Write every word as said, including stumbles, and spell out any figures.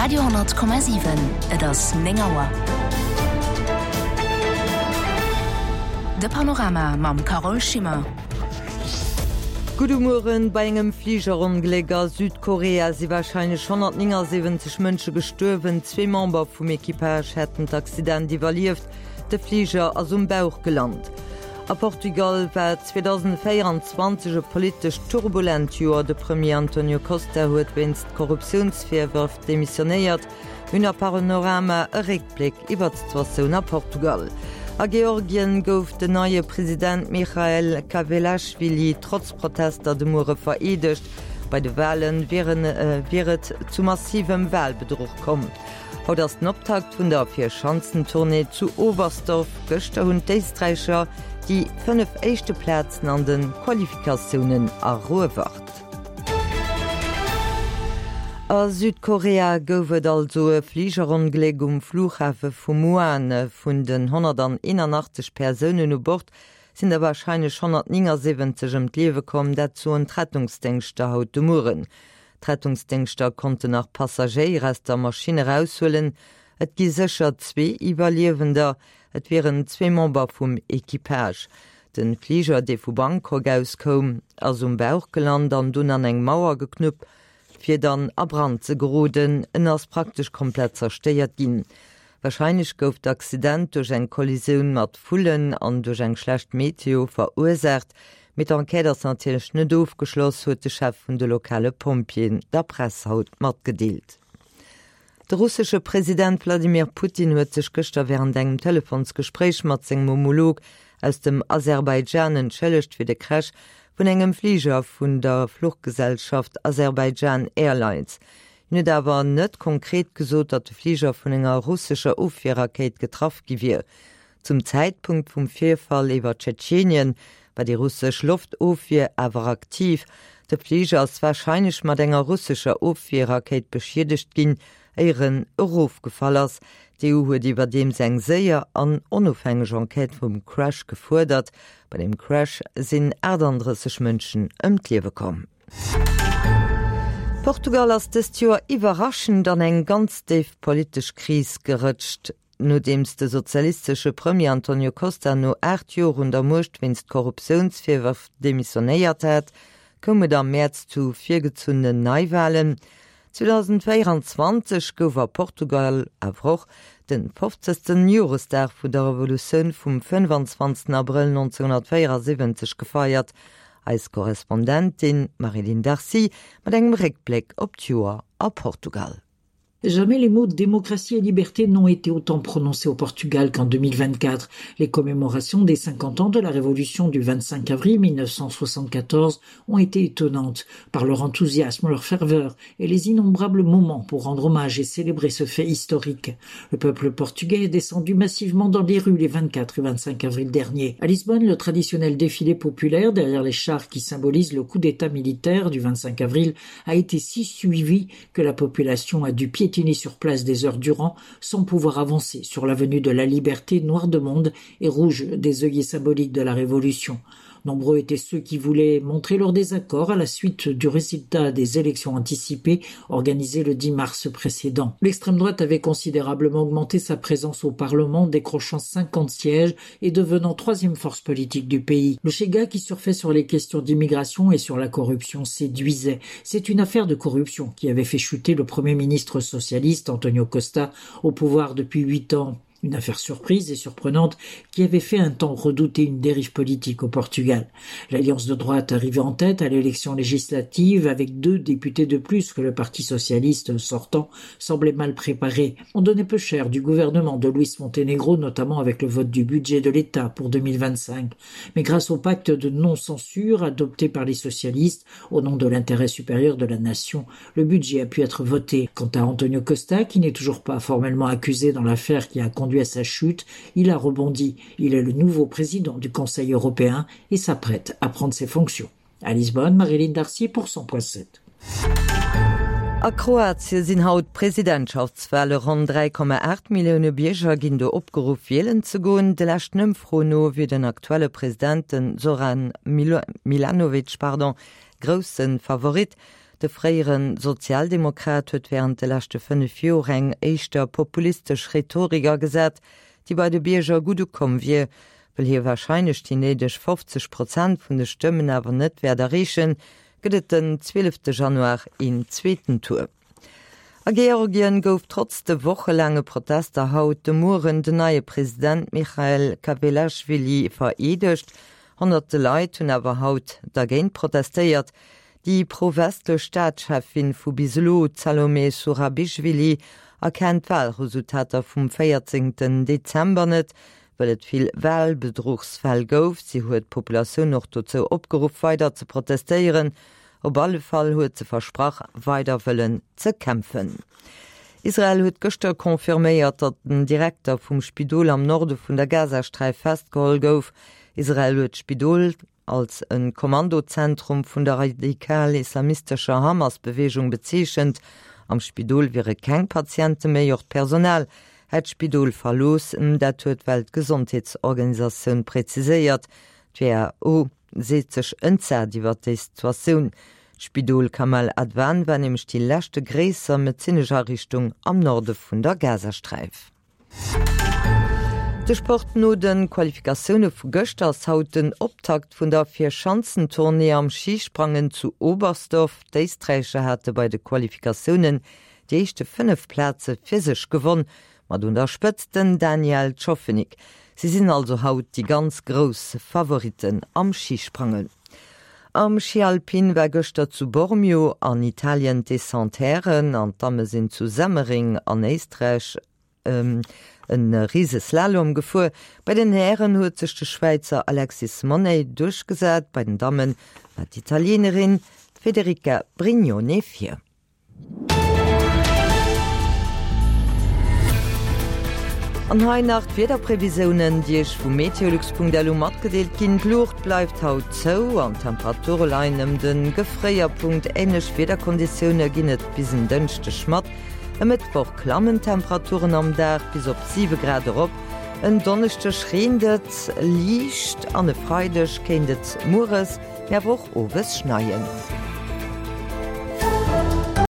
Radio honnert Komma siwen, Et ass néng Auer. De Panorama mam Carole Schimmer. Gudde Mueren, Bei engem Fligerongléck a Südkorea si warscheinlech honnertnéngasiwwenzeg Mënsche gestuerwen. Zwee Member vum Equipage hätten d'Accident iwwerlieft. De Fliger ass um Bauch gelant. A Portugal war zweedausendvéieranzwanzeg e politesch turbulent Joer. De Premier Antonio Costa huet wéinst Korruptiounsvirwërf demissionéiert. Mir hunn a Panorama e Réckbléck iwwer d'Situatioun a Portugal. A Georgien gouf den neie President Michael Kavelashvili trotz Protester de Muere vereedegt. Bei de Wale wier et zu massivem Walbedruch komm. Haut ass den Optakt vun der Vierschanzentournée zu Oberstdorf. Gëschter hunn d'Éisträicher déi fënnef éischte Plazen an de Qualifikatiounen eruewert. A Südkorea gouf et also e Fligerongléck um Flughafe vu Muan. Vun den honnerteenanachtzeg Persounen u Bord sinn der warscheinlech honnertnéngasiwwenzeg ëm d'Liewe komm, dat soen d'Rettungsdéngschter haut de Mueren. D'Rettungsdéngschter konnten nach Passagéier aus der Maschinn eraushuelen. Et gi sécher zwee Iwwerliewender, et wieren zwee Member vum Equipage. De Fliger, dee vu Bangkok aus koum, ass um Bauch gelant an dunn an eng Mauer geknuppt, fir dann a Brand ze geroden. En ass praktesch komplett zerstéiert ginn. Warscheinlech gouf d'Accident duerch eng Kollisioun mat Vullen an duerch eng schlecht Meteo verursaacht. Mee d'Enquête ass natierlech net ofgeschloss, huet de Chef vun de lokale Pompjeeën der Press haut matgedeelt. De russesche President Wladimir Putin huet sech gëschter wärend engem Telefonsgespréich mat sengem Homolog aus dem Aserbaidschan entschëllegt fir de Crash vun engem Fliger vun der Fluchgesellschaft Azerbaijan Airlines. Hien huet awer net konkret gesot, datt de Fliger vun enger russescher Ofwierrakéit getraff gi wier. Zum Zäitpunkt vum Virfall iwwer Tschetschenien war déi russesch Loftofwier awer aktiv. De Fliger ass warscheinlech mat enger russescher Ofwierrakéit beschiedegt ginn, éier en erofgefall ass. D'EU huet iwwerdeems eng séier an onofhängeg Enquête vum Crash gefuerdert. Bei dem Crash sinn achtandrësseg Mënschen ëm d'Liewe komm. Portugal ass dëst Joer iwwerraschend an eng ganz déif politesch Kris gerëtscht. Nodeems de sozialistesche Premier Antonio Costa no aacht Joer un der Muecht wéinst Korruptiounsvirwërf demissionéiert hat, koum et am Mäerz zu virgezunnenen Neiwalen. zweedausendvéieranzwanzeg gouf a Portugal awer och de fofzegsten Joresdag vun der Revolutioun vum fënnefanzwanzegsten Abrëll nonzénhunnertvéierasiwwenzeg gefeiert. Eis Korrespondentin Marie-Line Darcy mat engem Réckbléck op d'Joer a Portugal. Jamais les mots démocratie et liberté n'ont été autant prononcés au Portugal qu'en deux mille vingt-quatre. Les commémorations des cinquante ans de la révolution du vingt-cinq avril mille neuf cent soixante-quatorze ont été étonnantes par leur enthousiasme, leur ferveur et les innombrables moments pour rendre hommage et célébrer ce fait historique. Le peuple portugais est descendu massivement dans les rues les vingt-quatre et vingt-cinq avril dernier. À Lisbonne, le traditionnel défilé populaire derrière les chars qui symbolisent le coup d'état militaire du vingt-cinq avril a été si suivi que la population a dû piétiner sur place des heures durant sans pouvoir avancer sur l'avenue de la Liberté, noire de monde et rouge des œillets symboliques de la Révolution. Nombreux étaient ceux qui voulaient montrer leur désaccord à la suite du résultat des élections anticipées organisées le dix mars précédent. L'extrême droite avait considérablement augmenté sa présence au Parlement, décrochant cinquante sièges et devenant troisième force politique du pays. Le Chega, qui surfait sur les questions d'immigration et sur la corruption, séduisait. C'est une affaire de corruption qui avait fait chuter le premier ministre socialiste Antonio Costa au pouvoir depuis huit ans. Une affaire surprise et surprenante qui avait fait un temps redouter une dérive politique au Portugal. L'alliance de droite arrivait en tête à l'élection législative avec deux députés de plus que le Parti socialiste sortant semblait mal préparé. On donnait peu cher du gouvernement de Luis Montenegro, notamment avec le vote du budget de l'État pour deux mille vingt-cinq. Mais grâce au pacte de non-censure adopté par les socialistes au nom de l'intérêt supérieur de la nation, le budget a pu être voté. Quant à Antonio Costa, qui n'est toujours pas formellement accusé dans l'affaire qui a conduit à sa chute, il a rebondi. Il est le nouveau président du Conseil européen et s'apprête à prendre ses fonctions. À Lisbonne, Marie-Line Darcy pour cent point sept. A Kroatien sinn haut Presidentschaftswale. Ronn dräi Komma aacht Millioune Bierger ginn do opgeruff, wielen ze goen. De leschten Ëmfroen no wier den aktuelle President, den Zoran Milanovic, pardon, grousse Favorit. De fréiere Sozialdemokrat huet wärend de leschte fënnef Joer eng éischter populistesch Rhetorik agesat, déi bei de Bierger gutt ukomm wier. Well hie warscheinlech déi néideg fofzeg Prozent vun de Stëmmen awer net wäert erreechen, gëtt et den zwielefte Januar een zweeten Tour. A Georgien gouf trotz de wochelaange Protester haut de Mueren den neie President Michael Kawelaschwili vereedegt. Honnerte Leit hunn awer haut dergéint protestéiert. Déi pro-westlech Staatscheffin vu bis elo, d'Salome Surabischwili, erkennt d'Walresultater vum véierzéngten Dezember net, well et vill Walbedruchsfäll gouf. Si huet d'Populatioun och dozou opgeruff, weider ze protestéieren. Op alle Fall huet se versprach, weider wëllen ze kämpfen. Israel huet gëschter confirméiert, datt den Direkter vum Spidol am Norde vun der Gazasträif festgeholl gouf. Israel huet d'Spidol als e Kommandozentrum vun der radikal-islamistescher Hamas-Beweegung bezeechent. Am Spidol wiere keng Patiente méi, och d'Personal hätt d'Spidol verlooss. Dat huet d'Weltgesondheetsorganisatioun preziséiert. D'WHO seet sech entsat iwwer déi Situatioun. D'Spidol Kamal Adwan war nämlech déi leschte gréisser medezinesch Ariichtung am Norde vun der Gazasträif. De Sport, No de Qualifikatioune vu gëschter ass haut den Optakt vun der Vierschanzentournée am Schisprangen zu Oberstdorf. D'Éisträicher hate bei de Qualifikatiounen déi éischte fënnef Plaze fir sech gewonn, mat un der Spëtzt den Daniel Tschofenig. Si sinn also haut déi ganz grouss Favoritten am Schisprangen. Am Schi Alpin war gëschter zu Bormio an Italien d'Descente Hären an d'Damme sinn zu Semmering an Éisträich e Riseslalom gefuer. Bei den Hären huet sech de Schwäizer Alexis Monney duerchgesat, bei den Damme war d'Italienerin Federica Brignone vir. An hei nach d'Wiederprevisiounen, déi Iech vu meteolux.lu matgedeelt ginn, D'Luucht bleift haut zou an d'Temperature leien ëm de Gefréierpunkt. Änlech Wiederkonditioune ginn et bis en Dënschdeg mat. E Mëttwoch klammen d'Temperaturen am Dag bis op siwe Grad erop, en Donneschdeg reent et liicht an e Freideg kéint et mueres, mee awer och owes schneien.